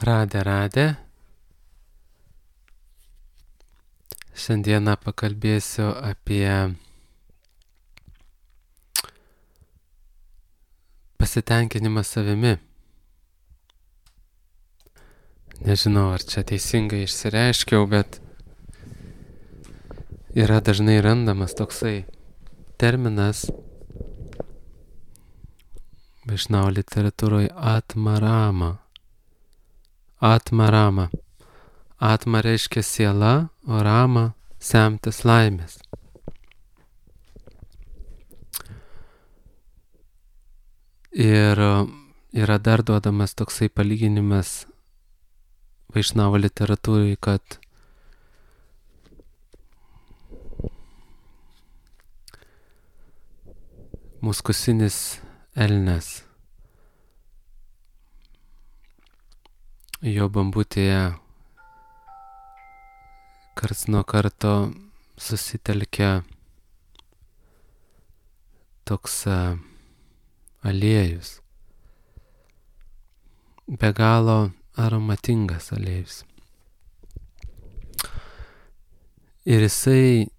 Radė. Šiandieną pakalbėsiu apie pasitenkinimą savimi. Nežinau, ar čia teisingai išsireiškiau, bet yra dažnai randamas toksai terminas Vaišnavo literatūroje atmarama. Atma reiškia siela, o rama semtis laimės. Ir yra dar duodamas toksai palyginimas Vaišnavo literatūrai, kad muskusinis elnias jo bambutėje karts nuo karto susitelkia toks aliejus, be galo aromatingas aliejus. Ir jisai,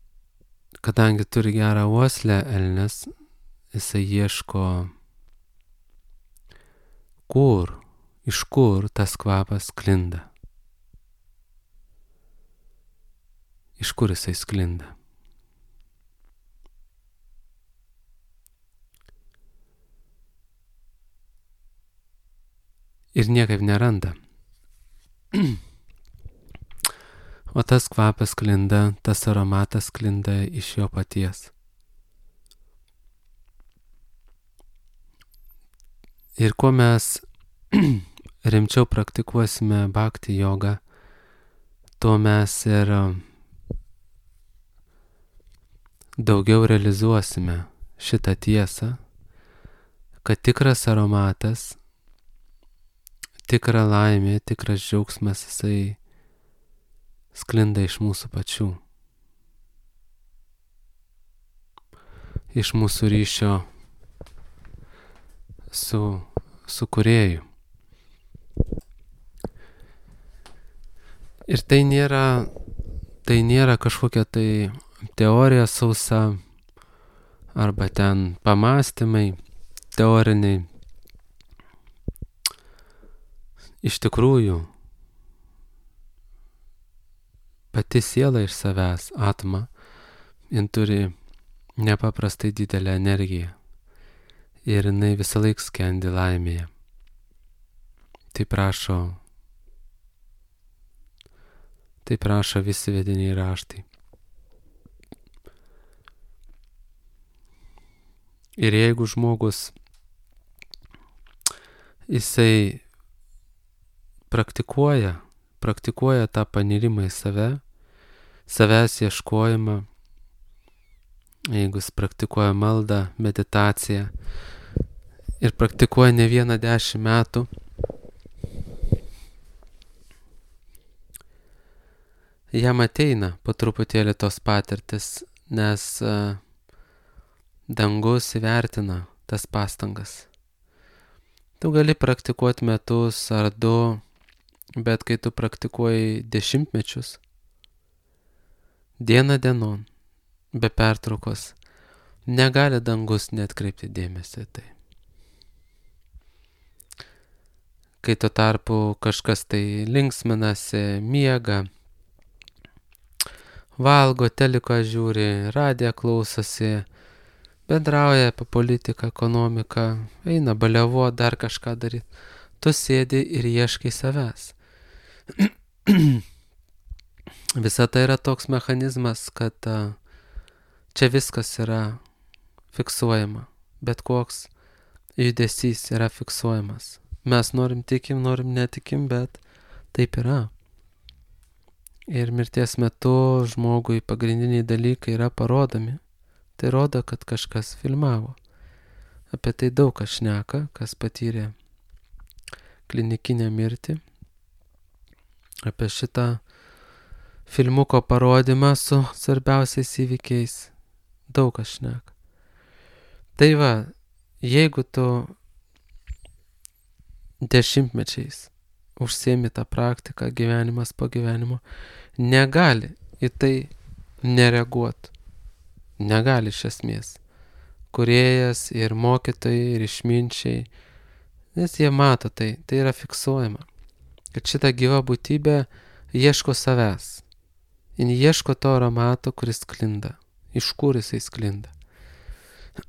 kadangi turi gerą uoslę elnias, jisai ieško, iš kur tas kvapas sklinda. Iš kur jisai sklinda. Ir niekaip neranda. O tas kvapas sklinda, tas aromatas sklinda iš jo paties. Ir kuo mes rimčiau praktikuosime bhakti jogą, tuo mes ir daugiau realizuosime šitą tiesą, kad tikras aromatas, tikra laimė, tikras džiaugsmas, jisai sklinda iš mūsų pačių. Iš mūsų ryšio su kūrėju. Ir tai nėra kažkokia tai teorija sausa arba ten pamąstymai teoriniai. Iš tikrųjų, pati siela iš savęs, atma, jin turi nepaprastai didelę energiją ir jinai visą laiką skendi laimėje. Taip rašo visi vediniai raštai. Ir jeigu žmogus jisai praktikuoja tą panirimą į save, savęs ieškojimą, jeigu jis praktikuoja maldą, meditaciją ir praktikuoja ne 10 metų, jam ateina po truputėlį tos patirtis, nes dangus įvertina tas pastangas. Tu gali praktikuoti metus ar 2, bet kai tu praktikuoji 10 mečius, diena dienon, be pertraukos, negali dangus neatkreipti dėmesį tai. Kai tuo tarpu kažkas tai linksminasi, miega, valgo, teliką žiūri, radiją klausosi, bendrauja apie politiką, ekonomiką, eina baliavo, dar kažką daryti. Tu sėdi ir ieškai savęs. Visa tai yra toks mechanizmas, kad čia viskas yra fiksuojama. Bet koks judesys yra fiksuojamas. Mes norim tikim, norim netikim, bet taip yra. Ir mirties metu žmogui pagrindiniai dalykai yra parodomi. Tai rodo, kad kažkas filmavo. Apie tai daug kas šneka, kas patyrė klinikinę mirtį. Apie šitą filmuko parodymą su svarbiausiais įvykiais daug kas šneka. Tai va, jeigu tu 10 mečiais užsiemi tą praktiką gyvenimas po gyvenimo, negali į tai nereaguoti. Negali iš esmės. Kūrėjas ir mokytojai ir išminčiai, nes jie mato tai yra fiksuojama. Kad šita gyva būtybė ieško savęs. Jis ieško to aromato, kuris sklinda. Iš kur jisai sklinda.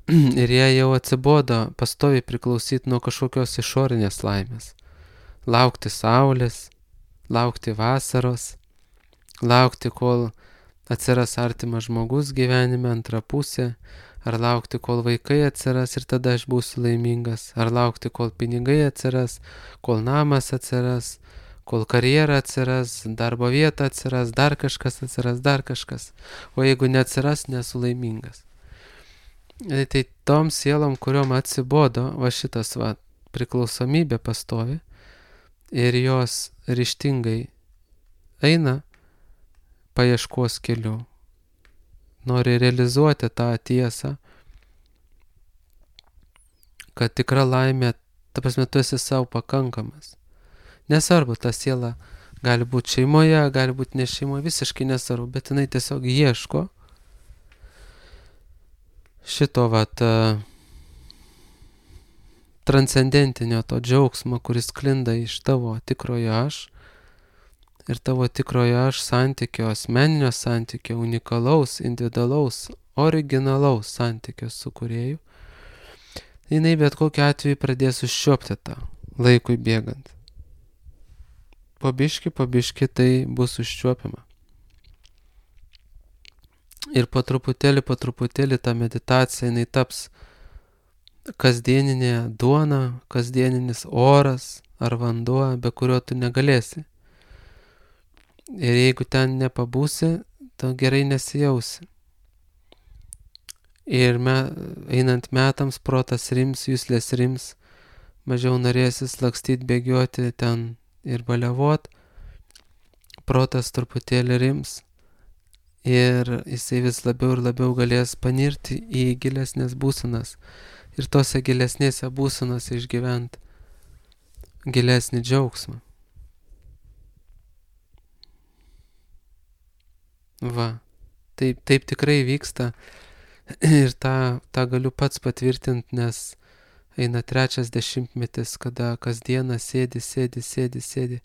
Ir jie jau atsibodo pastoviai priklausyti nuo kažkokios išorinės laimės. Laukti saulės, laukti vasaros, laukti, kol atsiras artimas žmogus gyvenime, antra pusė, ar laukti, kol vaikai atsiras ir tada aš būsiu laimingas, ar laukti, kol pinigai atsiras, kol namas atsiras, kol karjera atsiras, darbo vieta atsiras, dar kažkas atsiras, dar kažkas. O jeigu neatsiras, nesu laimingas. Tai tom sielom, kuriuom atsibodo, va šitas priklausomybė pastovi ir jos ryžtingai eina paieškos keliu. Nori realizuoti tą tiesą, kad tikra laimė, ta prasme, tu esi savo pakankamas. Nesvarbu, ta siela gali būti šeimoje, gali būti ne šeimoje, visiškai nesvarbu, bet jinai tiesiog ieško šito transcendentinio to džiaugsmo, kuris sklinda iš tavo tikrojo aš ir tavo tikrojo aš santykio, asmeninio santykio, unikalaus, individualaus, originalaus santykio su kūrėju. Jinai bet kokiu atveju pradės užčiuopti tą laikui bėgant. Po biškį tai bus užčiuopiama. Ir po truputėlį ta meditacija, jinai taps kasdieninė duona, kasdieninis oras ar vanduo, be kurio tu negalėsi. Ir jeigu ten nepabūsi, tu gerai nesijausi. Ir einant metams protas rims, juslės rims, mažiau norėsis lakstyti, bėgioti ten ir baliavot, protas truputėlį rims ir jisai vis labiau ir labiau galės panirti į gilesnės būsenas ir tose gilesnėse būsenose išgyventi gilesnį džiaugsmą. Taip tikrai vyksta ir tą galiu pats patvirtinti, nes eina 3 dešimtmetis, kada kasdieną sėdi.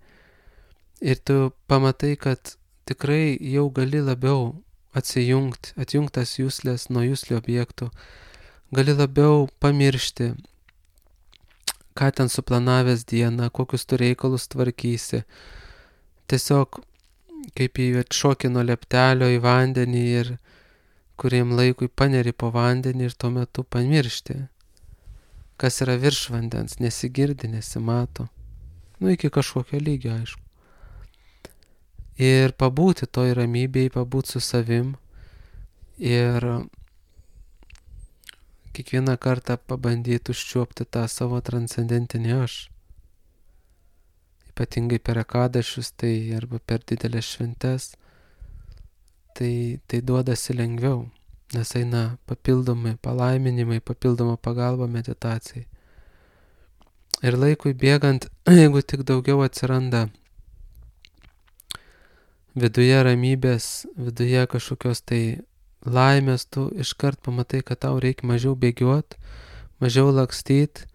Ir tu pamatai, kad tikrai jau gali labiau atjungtas juslės nuo juslių objektų, gali labiau pamiršti, ką ten suplanavęs dieną, kokius tu reikalus tvarkysi. Tiesiog kaip į atšokį nuo leptelio į vandenį ir kuriam laikui paneri po vandenį ir tuo metu pamiršti, kas yra virš vandens, nesigirdi, nesimato. Iki kažkokio lygio, aišku. Ir pabūti toj ramybėj, pabūti su savim ir kiekvieną kartą pabandyti užčiuopti tą savo transcendentinį aš. Ypatingai per akadašius, tai arba per didelės šventes, tai duodasi lengviau, nes eina papildomi palaiminimai, papildoma pagalba meditacijai. Ir laikui bėgant, jeigu tik daugiau atsiranda viduje ramybės, viduje kažkokios tai laimės, tu iškart pamatai, kad tau reikia mažiau bėgiot, mažiau lakstyt,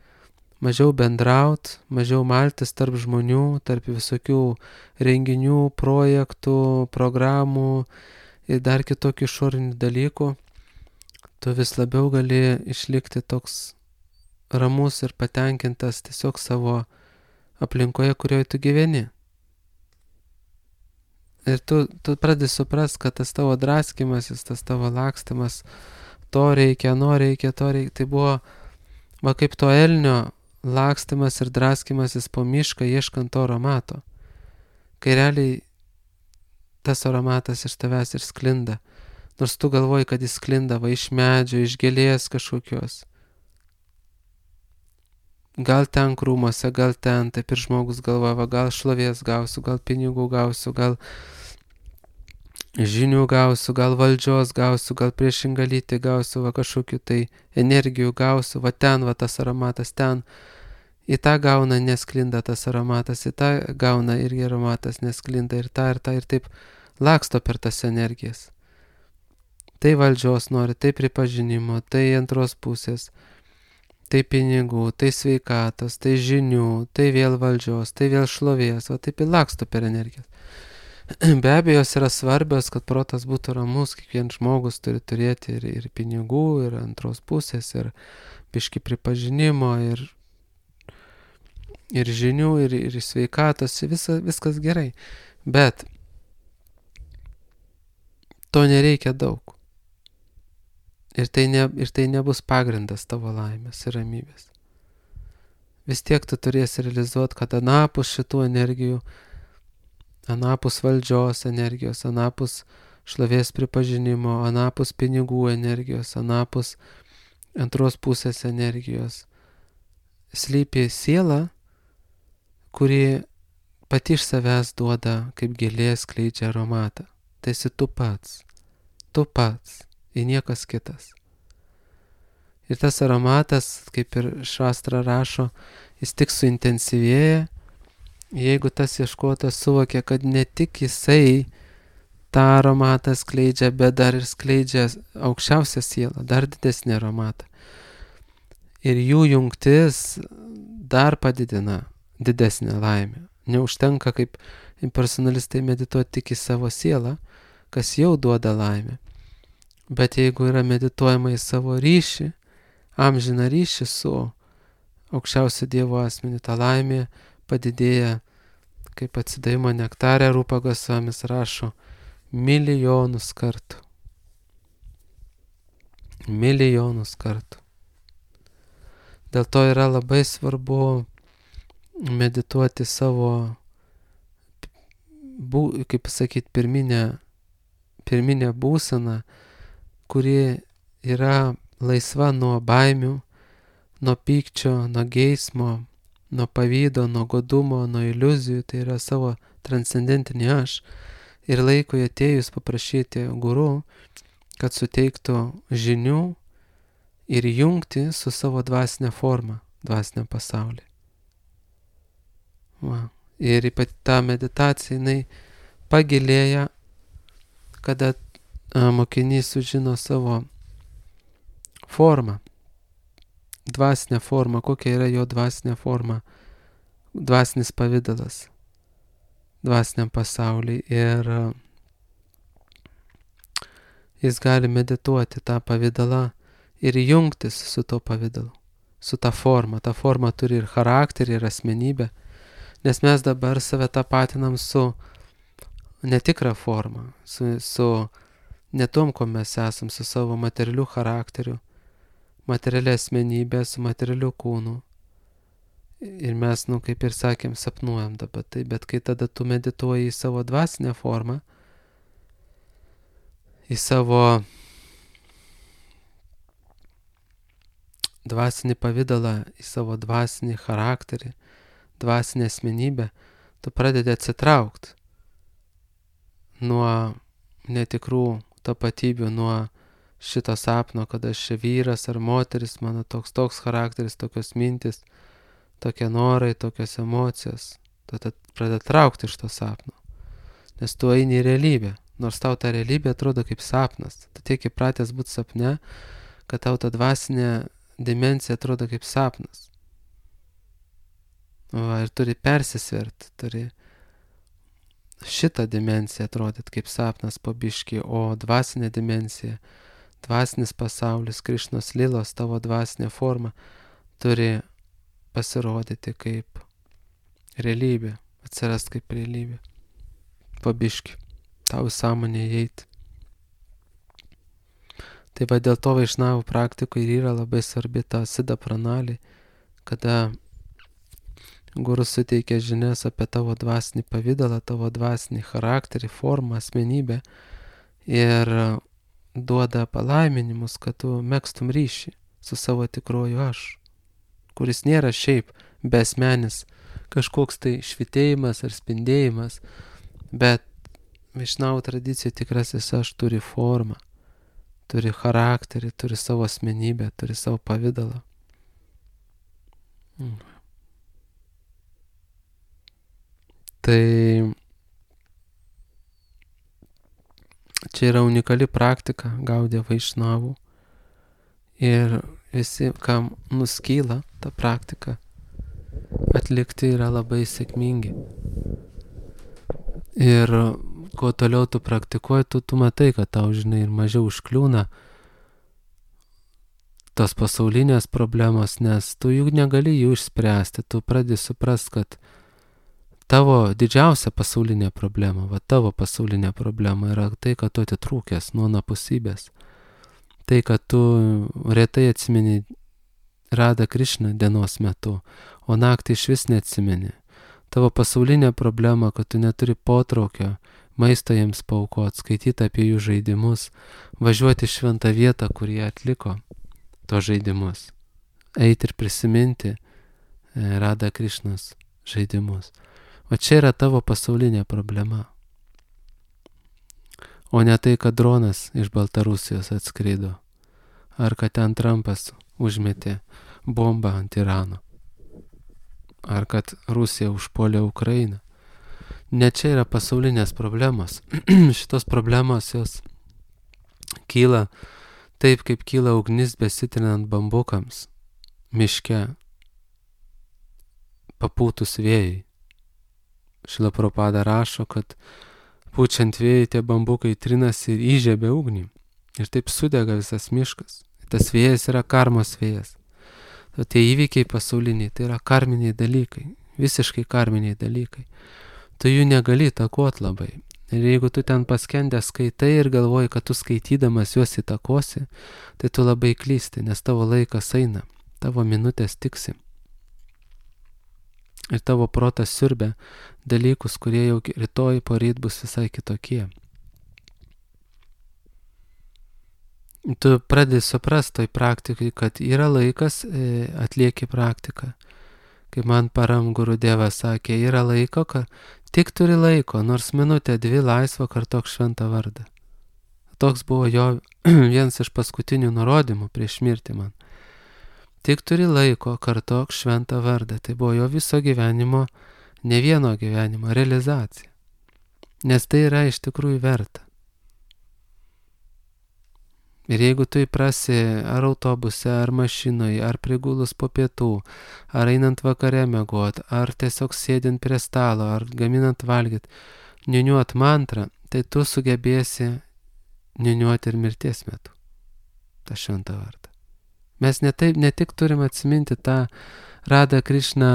mažiau bendraut, mažiau maltis tarp žmonių, tarp visokių renginių, projektų, programų ir dar kitokių išorinių dalykų. Tu vis labiau gali išlikti toks ramus ir patenkintas tiesiog savo aplinkoje, kurioje tu gyveni. Ir tu pradedi suprast, kad tas tavo draskimasis, tas tavo lakstymas, to reikia, tai buvo kaip to elnio lakstymas ir draskimasis po mišką ieškant to aromato. Kai realiai tas aromatas iš tavęs ir sklinda, nors tu galvoji, kad jis sklinda iš medžio, iš gėlės kažkokios. Gal ten krūmuose, gal ten, taip ir žmogus galvoja, gal šlovės gausiu, gal pinigų gausiu, gal žinių gausiu, gal valdžios gausiu, gal priešingą lytį gausiu, kažkokių tai energijų gausiu, ten tas aromatas ten. į tą gauna nesklinda tas aromatas, į tą gauna irgi aromatas nesklinda ir tą, ir taip laksto per tas energijas. Tai valdžios nori, tai pripažinimo, tai antros pusės, tai pinigų, tai sveikatos, tai žinių, tai vėl valdžios, tai vėl šlovės, o taip ir laksto per energijas. Be abejo, jos yra svarbios, kad protas būtų ramus, kiekvienas žmogus turi turėti ir pinigų, ir antros pusės, ir biški pripažinimo, ir žinių, ir sveikatos, viskas gerai. Bet to nereikia daug. Ir tai nebus pagrindas tavo laimės ir ramybės. Vis tiek tu turėsi realizuoti, kad anapus šitų energijų, anapus valdžios energijos, anapus šlovės pripažinimo, anapus pinigų energijos, anapus antros pusės energijos, slypi siela, kuri pati iš savęs duoda kaip gėlė skleidžia aromatą. Tai esi tu pats, ir niekas kitas. Ir tas aromatas, kaip ir Šastra rašo, jis tik suintensyvėja, jeigu tas ieškotas suvokia, kad ne tik jisai tą aromatą skleidžia, bet dar ir skleidžia aukščiausią sielą, dar didesnį aromatą. Ir jų jungtis dar padidina didesnę laimę. Neužtenka kaip impersonalistai medituoti tik į savo sielą, kas jau duoda laimę. Bet jeigu yra medituojama į savo ryšį, amžiną ryšį su aukščiausio Dievo asmeniu, ta laimė padidėja, kaip atsidavimo nektarė Rupa Gosvamis rašo, milijonus kartų. Milijonus kartų. Dėl to yra labai svarbu medituoti savo, kaip pasakyti, pirminę būseną, kuri yra laisva nuo baimių, nuo pykčio, nuo geismo, nuo pavydo, nuo godumo, nuo iliuzijų, tai yra savo transcendentinį aš. Ir laikui atėjus paprašyti guru, kad suteiktų žinių ir jungti su savo dvasinė forma, dvasiniam pasauliu. Ir ypač ta meditacija, jinai pagilėja, kada mokinys sužino savo formą, dvasinę formą, kokia yra jo dvasinė forma, dvasinis pavidalas dvasiniam pasauliui. Ir jis gali medituoti tą pavidalą ir jungtis su to pavidalu, su ta forma. Ta forma turi ir charakterį, ir asmenybę, nes mes dabar save tapatinam su netikra forma, su ne tom, ko mes esam, su savo materialiu charakteriu, materialia asmenybė, su materialiu kūnu. Ir mes, kaip ir sakėm, sapnuojam dabar tai, bet kai tada tu medituoji į savo dvasinę formą, į savo dvasinį pavidalą, į savo dvasinį charakterį, dvasinę asmenybę, tu pradedi atsitraukti nuo netikrų tapatybių, nuo šito sapno, kad aš čia vyras ar moteris, mano toks charakteris, tokios mintis, tokie norai, tokios emocijos. Tada pradeda traukti iš to sapno. Nes tu eini į realybę. Nors tau ta realybė atrodo kaip sapnas. Tu tiek įpratęs būti sapne, kad tau ta dvasinė dimensija atrodo kaip sapnas. Ir turi persisverti, turi šitą dimensiją atrodyti kaip sapnas po biškį, o dvasinė dimensija, dvasinis pasaulis, Krišnos lilos, tavo dvasinė forma turi pasirodyti kaip realybė, atsirast kaip realybė. Pabiški, tau į sąmonę įeiti. Tai va dėl to vaišnavų praktikoje yra labai svarbi ta sida pranali, kada gurus suteikia žinias apie tavo dvasinį pavidalą, tavo dvasinį charakterį, formą, asmenybę ir duoda palaiminimus, kad tu megztum ryšį su savo tikruoju aš, kuris nėra šiaip besmenis kažkoks tai švitėjimas ar spindėjimas, bet vaišnavų tradicijų tikrasis aš turi formą, turi charakterį, turi savo asmenybę, turi savo pavidalą. Tai čia yra unikali praktika Gaudiya Vaišnavų ir visi, kam nuskyla ta praktika atlikti, yra labai sėkmingi. Ir kuo toliau tu praktikuoji, tu matai, kad tau, žinai, ir mažiau užkliūna tos pasaulinės problemos, nes tu jų negali jų išspręsti. Tu pradedi suprast, kad tavo didžiausia pasaulinė problema, tavo pasaulinė problema yra tai, kad tu atitrūkęs nuo anapusybės. Tai, kad tu retai atsimeni Radha Krišną dienos metu, o naktį iš vis neatsimeni. Tavo pasaulinė problema, kad tu neturi potraukio maisto jiems paaukot, skaityti apie jų žaidimus, važiuoti į šventą vietą, kur jie atliko tos žaidimus, eiti ir prisiminti Radha Krišnos žaidimus. O čia yra tavo pasaulinė problema. O ne tai, kad dronas iš Baltarusijos atskrido, ar kad ten Trumpas užmetė bombą ant Irano, ar kad Rusija užpuolė Ukrainą. Ne čia yra pasaulinės problemos. Šitos problemos jos kyla taip, kaip kyla ugnis besitrinant bambukams miške, papūtus vėjai. Šrila Prabhupada rašo, kad pučiant vėjai tie bambukai trinasi ir įžiebia ugnį. Ir taip sudega visas miškas. Tas vėjas yra karmos vėjas. O tie įvykiai pasauliniai, tai yra karminiai dalykai. Visiškai karminiai dalykai. Tu jų negali įtakot labai. Ir jeigu tu ten paskendęs skaitai ir galvoji, kad tu skaitydamas juos įtakosi, tai tu labai klysti, nes tavo laikas eina, tavo minutės tiksi. Ir tavo protas siurbia dalykus, kurie jau rytoj poryt bus visai kitokie. Tu pradedi suprast toj praktikai, kad yra laikas atlieki praktiką. Kaip man Param Gurudevas sakė, yra laiko, kad tik turi laiko, nors minutę, 2 laisvo kartok šventą vardą. Toks buvo jo vienas iš paskutinių nurodymų prieš mirtį man. Tik turi laiko, kartok šventą vardą. Tai buvo jo viso gyvenimo, ne vieno gyvenimo realizacija. Nes tai yra iš tikrųjų verta. Ir jeigu tu įprasi ar autobuse, ar mašinoje, ar prigulus po pietų, ar einant vakare miegot, ar tiesiog sėdint prie stalo, ar gaminant valgyt, niuniuot mantrą, tai tu sugebėsi niuniuoti ir mirties metu tą šventą vardą. Mes ne tik turim atsiminti tą Radha Krišną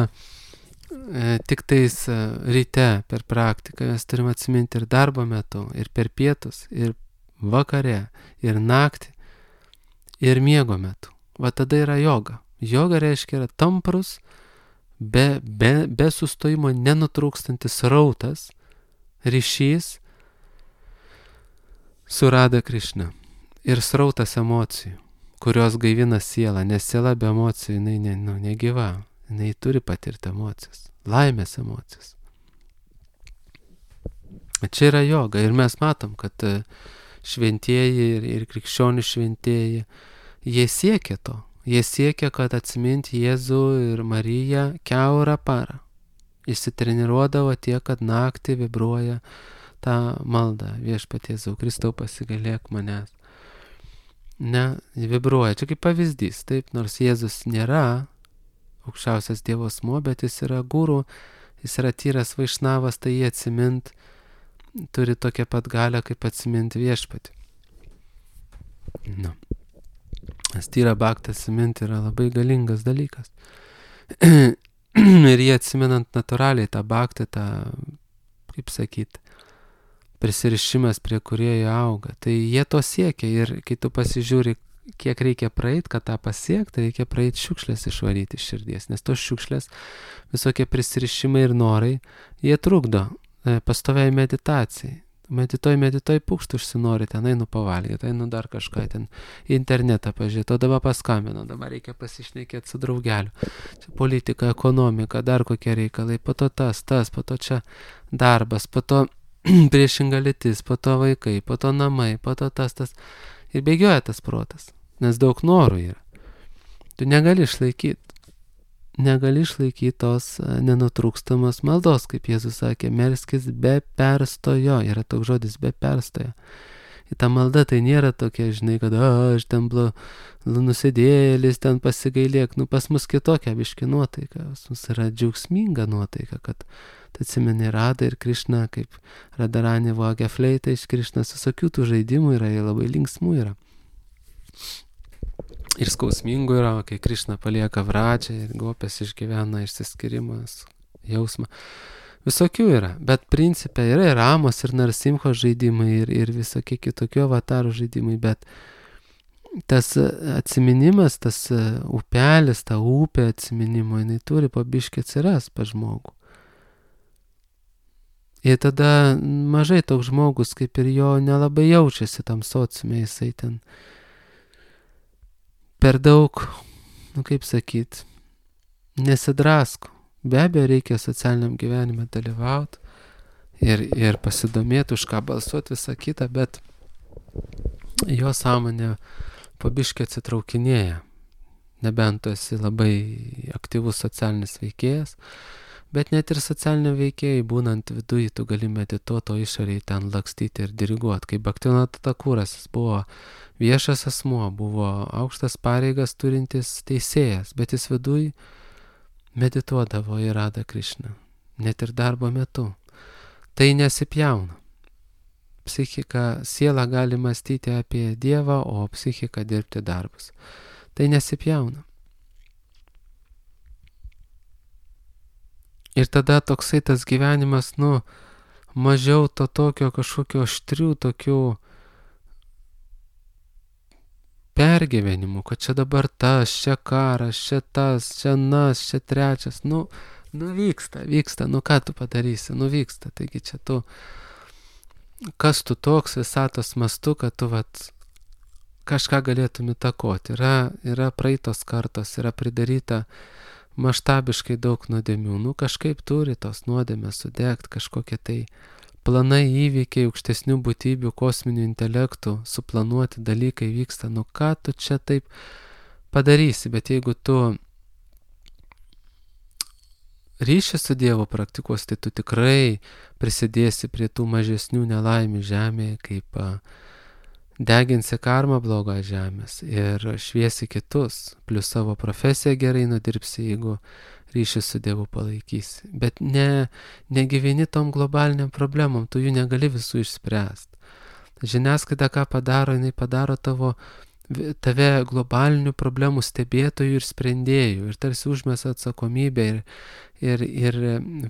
tik tais ryte per praktiką, mes turim atsiminti ir darbo metu, ir per pietus, ir vakare, ir naktį, ir miego metu. Va tada yra joga. Joga reiškia yra tamprus, be sustojimo nenutrūkstantis rautas, ryšys su Radha Krišna. Ir srautas emocijų, kurios gaivina sielą, nes siela be emocijų, jinai negyva, jinai turi patirti emocijas, laimės emocijas. Čia yra joga ir mes matom, kad šventieji ir krikščionių šventieji, jie siekia to. Jie siekia, kad atsiminti Jėzų ir Mariją kiaurą parą. Išsitreniruodavo tiek, kad naktį vibruoja tą maldą. Viešpatie Jėzau Kristau, pasigailėk manęs. Ne, vibruoja. Čia kaip pavyzdys. Taip, nors Jėzus nėra aukščiausias Dievo asmuo, bet jis yra guru, jis yra tyras vaišnavas, tai jį atsimint turi tokią pat galią, kaip atsiminti viešpatį. Nes tyra bhaktą atsiminti yra labai galingas dalykas. Ir jie atsimenant natūraliai tą bhaktą, tą, kaip sakyt, prisirišimas prie kurėjo auga. Tai jie to siekia ir kai tu pasižiūri, kiek reikia praeit, kad tą pasiekti, reikia praeit šiukšlės išvaryti iš širdies. Nes tos šiukšlės, visokie prisirišimai ir norai, jie trukdo pastoviai meditacijai. Medituoji, pukšt užsinori, ten einu pavalgyti, einu dar kažką, ten internetą pažiūrėti, o dabar paskambino, dabar reikia pasišnekėti su draugeliu. Čia politika, ekonomika, dar kokie reikalai, po to tas, po to čia darbas, po to priešinga lytis, po to vaikai, po to namai, po to tas. Ir bėgioja tas protas, nes daug norų yra. Tu negali išlaikyti. negali išlaikyti tos nenutrūkstamos maldos, kaip Jėzus sakė, melskis be perstojo, yra toks žodis be perstojo. Ir ta malda tai nėra tokia, žinai, kad aš ten nusidėlis, ten pasigailėk, pas mus kitokia biški nuotaika, pas mus yra džiaugsminga nuotaika, kad tu atsimeni Radą ir Krišną, kaip Radharani vogia fleitą iš Krišnos, visokių tų žaidimų yra, jie labai linksmų yra. Ir skausmingų yra, kai Krišna palieka Vradžią ir Gopės išgyvena išsiskirimas jausmą. Visokių yra, bet principe yra ir Ramos, ir Narsimho žaidimai, ir visokie kitokių avatarų žaidimai, bet tas atsiminimas, tas upelis, ta upė atsiminimo, jinai turi po biškį atsiras pas žmogų. Ir tada mažai toks žmogus, kaip ir jo nelabai jaučiasi tam sociume, jisai ten per daug, kaip sakyt, nesidrasko. Be abejo, reikia socialiniam gyvenime dalyvauti ir pasidomėti, už ką balsuoti, visą kitą, bet jo sąmonė po biškį atsitraukinėja. Nebent tu esi labai aktyvus socialinis veikėjas, bet net ir socialiniam veikėjai, būnant viduje, tu gali medituoti, o išoriai ten lakstyti ir diriguoti. Kaip Bhaktivinoda Thakuras, jis buvo viešas asmuo, buvo aukštas pareigas turintis teisėjas, bet jis viduje medituodavo į Radą Krišną, net ir darbo metu. Tai nesipjauna. Psichika, siela gali mąstyti apie Dievą, o psichika dirbti darbus. Tai nesipjauna. Ir tada toksai tas gyvenimas, mažiau to tokio kažkokio aštrių, tokių pergyvenimų, kad čia dabar tas, čia karas, čia tas, čia nas, čia trečias, vyksta, ką tu padarysi, vyksta, taigi čia tu, kas tu toks visatos mastu, kad tu kažką galėtum įtakoti, yra praeitos kartos, yra pridaryta maštabiškai daug nuodėmių, kažkaip turi tos nuodėmės sudegti, kažkokie tai planai, įvykiai, aukštesnių būtybių, kosminių intelektų, suplanuoti dalykai vyksta, ką tu čia taip padarysi, bet jeigu tu ryšį su Dievu praktikuos, tai tu tikrai prisidėsi prie tų mažesnių nelaimių žemėje, kaip deginsi karmą blogą žemės ir šviesi kitus, plus savo profesiją gerai nudirbsi, jeigu ryšį su Dievu palaikysi. Bet negyveni tom globaliniam problemom, tu jų negali visų išspręsti. Žiniasklaida ką padaro, jinai padaro tave globalinių problemų stebėtojų ir sprendėjų ir tarsi užmesa atsakomybę ir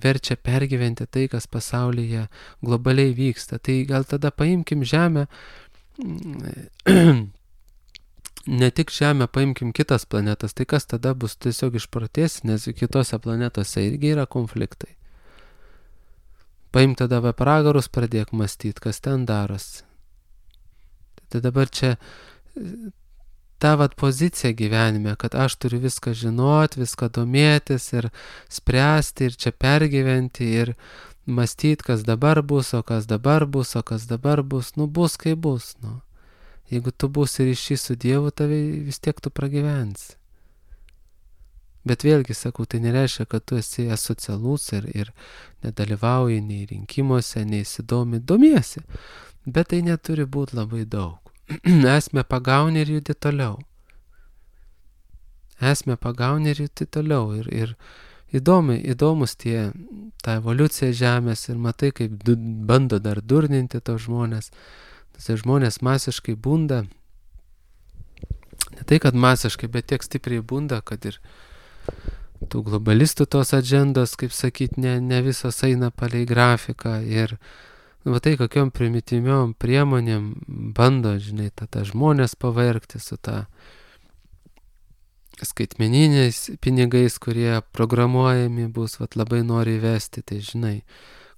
verčia pergyventi tai, kas pasaulyje globaliai vyksta. Tai gal tada paimkim Žemę, ne tik Žemę, paimkim kitas planetas, tai kas tada bus, tiesiog išprotės, nes kitose planetose irgi yra konfliktai. Paim tada apie pragarus, pradėk mąstyti, kas ten darosi. Tai dabar čia ta pozicija gyvenime, kad aš turiu viską žinoti, viską domėtis ir spręsti ir čia pergyventi ir mąstyti, kas dabar bus, o kas dabar bus, o kas dabar bus, bus kaip bus, Jeigu tu būsi ryšys su Dievu, tave vis tiek tu pragyvensi. Bet vėlgi, sakau, tai nereiškia, kad tu esi asocialus ir nedalyvauji nei rinkimuose, nei įsidomi, domiesi. Bet tai neturi būti labai daug. Esmę pagauni ir judi toliau. Ir įdomus ta evoliucija žemės ir matai, kaip bando dar durninti tos žmonės. Žmonės masiškai bunda, ne tai, kad masiškai, bet tiek stipriai bunda, kad ir tų globalistų tos agendos, kaip sakyt, ne visos eina palei grafiką ir tai kokiom primityviom priemonėm bando, žinai, tą žmonės pavergti su tą skaitmeniniais pinigais, kurie programuojami bus, labai nori įvesti, tai žinai,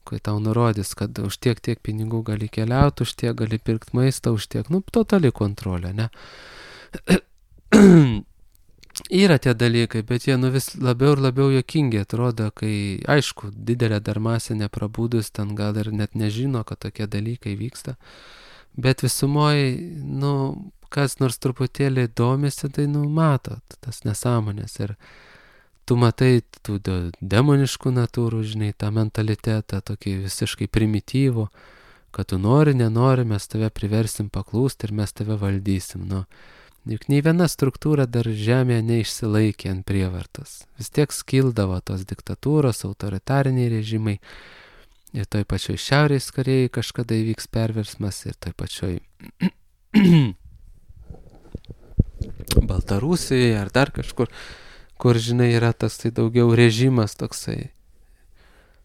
kai tau nurodys, kad už tiek pinigų gali keliauti, už tiek gali pirkti maistą, už tiek, totali kontrolė, ne? Yra tie dalykai, bet jie vis labiau ir labiau juokingi atrodo, kai, aišku, didelė dar masė neprabūdus, ten gal ir net nežino, kad tokie dalykai vyksta, bet visumoje, kas nors truputėlį domisi, tai mato tas nesąmonės ir tu matai tų demoniškų natūrų, žinai, tą mentalitetą, tokį visiškai primityvų, kad tu nori, nenori, mes tave priversim paklūsti ir mes tave valdysim. Nu, juk nei viena struktūra dar žemėje neišsilaikė ant prievartos. Vis tiek skildavo tos diktatūros, autoritariniai režimai. Ir toj pačioj Šiaurės Korėjai kažkada įvyks perversmas, ir toj pačioj Baltarusijoje ar dar kažkur, kur, žinai, yra tas tai daugiau režimas toksai.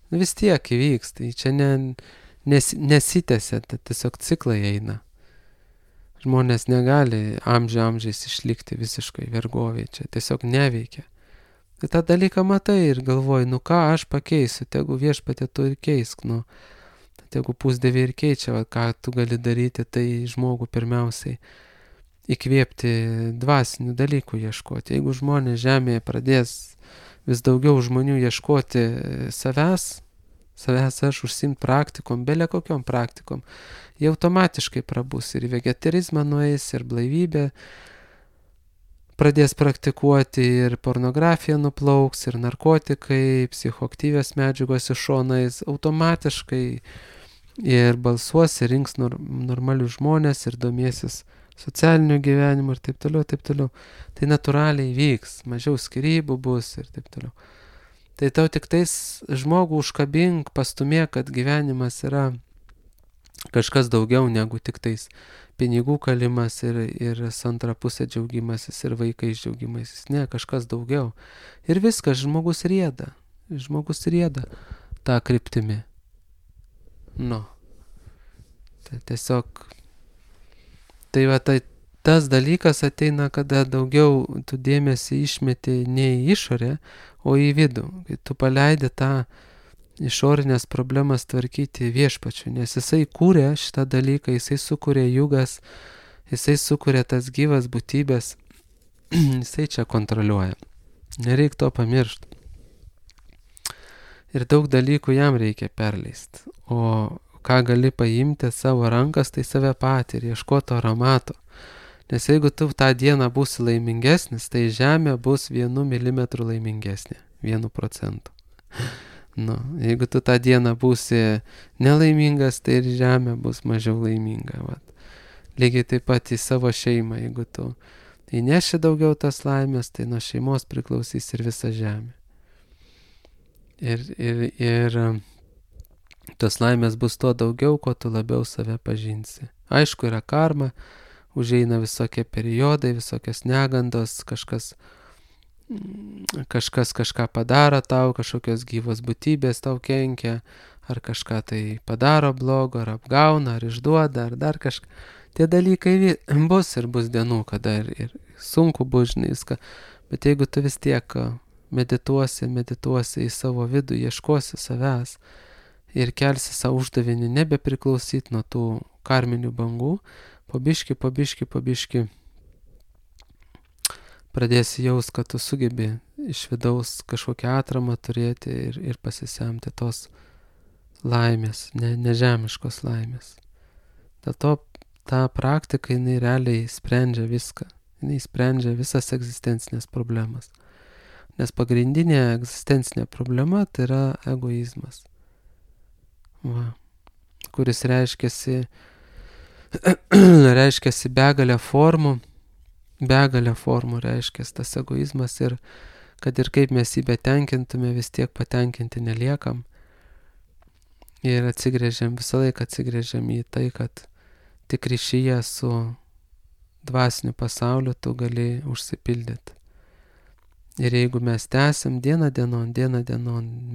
Vis tiek įvyks, tai čia nesitęsia, tai tiesiog ciklai eina. Žmonės negali amžiais išlikti visiškai vergovėje, čia tiesiog neveikia. Tai tą dalyką matai ir galvoji, nu ką aš pakeisiu, tegu viešpatė tu ir keisk, nu, tegu pusdieviai ir keičia, va, ką tu gali daryti, tai žmogų pirmiausiai įkvėpti dvasinių dalykų ieškoti. Jeigu žmonės žemėje pradės vis daugiau žmonių ieškoti savęs aš užsiimt praktikom, belė kokiom praktikom, jie automatiškai prabus ir vegetarizmą nueis, ir blaivybė pradės praktikuoti, ir pornografija nuplauks, ir narkotikai, psichoaktyvios medžiagos iš šonais, automatiškai ir balsuos, ir rinks normalius žmonės, ir domėsis socialiniu gyvenimu, ir taip toliau, taip toliau. Tai natūraliai vyks, mažiau skyrybų bus, ir taip toliau. Tai tau tik tais žmogų užkabink, pastumė, kad gyvenimas yra kažkas daugiau negu tik tais pinigų kalimas ir antra pusė džiaugimasis ir vaikais džiaugimasis. Ne, kažkas daugiau. Ir viskas, žmogus rieda tą kryptimį. Nu. Tai tiesiog, tai va, tas dalykas ateina, kada daugiau tu dėmesį išmeti ne į išorę, o į vidų. Kai tu paleidi tą išorinės problemas tvarkyti viešpačiu, nes jisai kūrė šitą dalyką, jisai sukūrė jugas, jisai sukūrė tas gyvas būtybės, jisai čia kontroliuoja. Nereik to pamiršti. Ir daug dalykų jam reikia perleisti. O ką gali paimti savo rankas, tai save patį ir ieškoti aromato. Nes jeigu tu tą dieną būsi laimingesnis, tai žemė bus 1 milimetru laimingesnė, 1%. Nu, jeigu tu tą dieną būsi nelaimingas, tai ir žemė bus mažiau laiminga. Vat. Lygiai taip pat į savo šeimą, jeigu tu įneši daugiau tas laimės, tai nuo šeimos priklausys ir visa žemė. Ir tos laimės bus tuo daugiau, kuo tu labiau save pažinsi. Aišku, yra karma, užeina visokie periodai, visokios negandos, kažkas kažką padaro tau, kažkokios gyvos būtybės tau kenkia, ar kažką tai padaro blogo, ar apgauna, ar išduoda, ar dar kažką. Tie dalykai bus ir bus dienų, kada ir sunku bus, žinai, viską. Bet jeigu tu vis tiek medituosi į savo vidų, ieškosi savęs ir kelsi savo uždavinį nebepriklausyti nuo tų karminių bangų, po biški pradėsi jaust, kad tu sugebi iš vidaus kažkokią atramą turėti ir pasisemti tos laimės, nežemiškos laimės. Dėl to ta praktika, jinai realiai sprendžia viską. Jinai sprendžia visas egzistencinės problemas. Nes pagrindinė egzistencinė problema tai yra egoizmas. Va. Kuris reiškiasi begalę formų reiškiasi tas egoizmas ir kad ir kaip mes jį betenkintume, vis tiek patenkinti neliekam. Ir visą laiką atsigrėžiam į tai, kad tik ryšyje su dvasiniu pasauliu tu gali užsipildyti. Ir jeigu mes tęsim dieną dienon,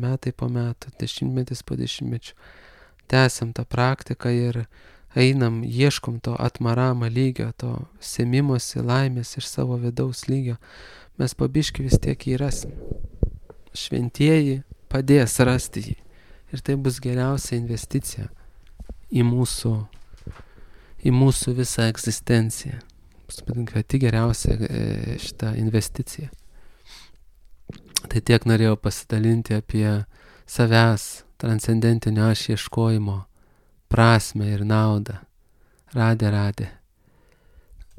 metai po metų, dešimtmetis po dešimtmečių, tęsim tą praktiką ir einam, ieškom to atmarama lygio, to semimosi laimės iš savo vidaus lygio, mes po biškį vis tiek jį rasim. Šventieji padės rasti jį. Ir tai bus geriausia investicija į mūsų visą egzistenciją. Pati geriausia šitą investiciją. Tai tiek norėjau pasidalinti apie savęs transcendentinio aš ieškojimo prasmę ir naudą. Radė.